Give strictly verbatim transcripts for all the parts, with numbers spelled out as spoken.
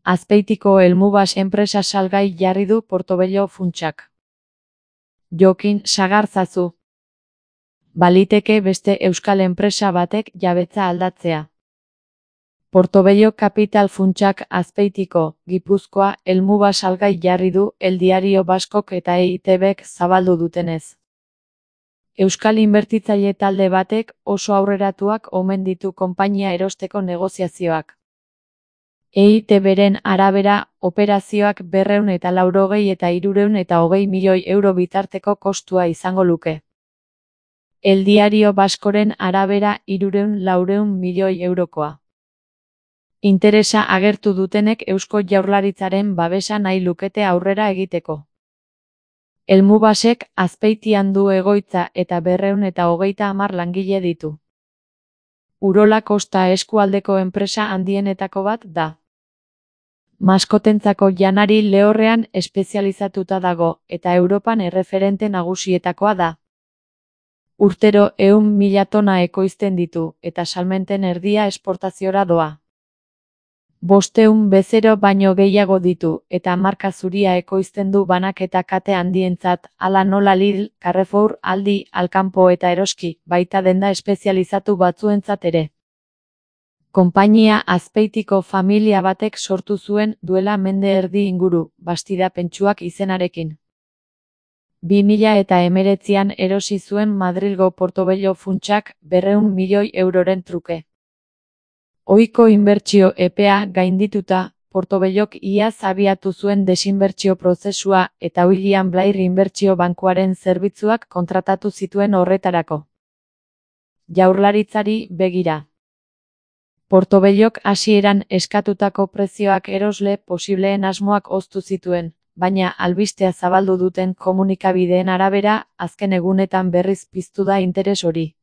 Azpeitiko Helmubas enpresa salgai jarri du Portobello funtsak. Jokin Sagarzazu. Baliteke beste euskal enpresa batek jabetza aldatzea. Portobello Capital funtsak Azpeitiko, Gipuzkoa, Helmubas salgai jarri du El Diario Baskok eta E I T Bek zabaldu dutenez. Euskal inbertitzaile talde batek oso aurreratuak omen ditu konpainia erosteko negoziazioak. E I T Beren arabera, operazioak berrehun eta laurogei eta hirurehun eta hogei milioi euro bitarteko kostua izango luke. El Diario Baskoren arabera hirurehun laurehun milioi eurokoa. Interesa agertu dutenek Eusko Jaurlaritzaren babesa nahi lukete aurrera egiteko. Helmubasek Azpeitian du egoitza eta berrehun eta hogeita hamar langile ditu. Urola Kosta eskualdeko enpresa handienetako bat da. Maskotentzako janari lehorrean espezializatuta dago eta Europan erreferente nagusietakoa da. Urtero ehun mila tona ekoizten ditu eta salmenten erdia esportaziora doa. Bostehun bezero baino gehiago ditu eta marka zuria ekoizten du banaketa kate handientzat, hala nola Lidl, Carrefour, Aldi, Alkanpo eta Eroski, baita denda espezializatu batzuentzat ere. Konpainia Azpeitiko familia batek sortu zuen duela mende erdi inguru, Bastida Pentsuak izenarekin. bi mila eta hemeretzian erosi zuen Madrilgo Portobello funtsak berrehun milioi euroren truke. Ohiko inbertsio epea gaindituta, Portobellok iaz abiatu zuen desinbertsio prozesua eta William Blair inbertsio bankuaren zerbitzuak kontratatu zituen horretarako. Jaurlaritzari begira. Portobellok hasieran eskatutako prezioak erosle posibleen asmoak hoztu zituen, baina albistea zabaldu duten komunikabideen arabera, azken egunetan berriz piztu da interes hori.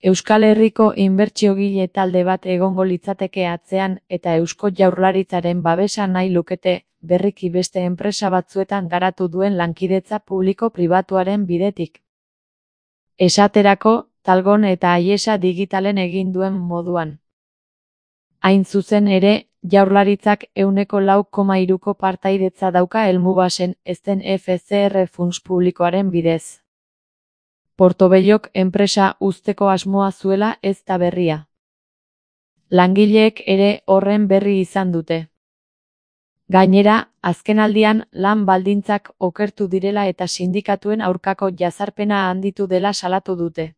Euskal Herriko inbertsiogile talde bat egongo litzateke atzean eta Eusko Jaurlaritzaren babesa nahi lukete, berriki beste enpresa batzuetan garatu duen lankidetza publiko-pribatuaren bidetik. Esaterako, Talgon eta Aiesa Digitalen egin duen moduan. Hain zuzen ere, Jaurlaritzak ehuneko lau koma hiruko partaidetza dauka Helmubasen, ezten F C R funts publikoaren bidez. Portobellok enpresa uzteko asmoa zuela ez da berria. Langileek ere horren berri izan dute. Gainera, azkenaldian lan baldintzak okertu direla eta sindikatuen aurkako jazarpena handitu dela salatu dute.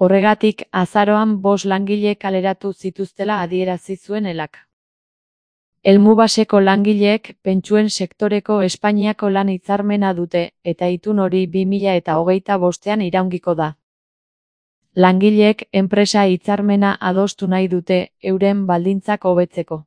Horregatik, azaroan bost langile kaleratu zituztela adierazi zuen elak. Helmubaseko langileek pentsuen sektoreko Espainiako lan hitzarmena dute eta itun hori bi mila eta hogeita bostean iraungiko da. Langileek enpresa hitzarmena adostu nahi dute euren baldintzak hobetzeko.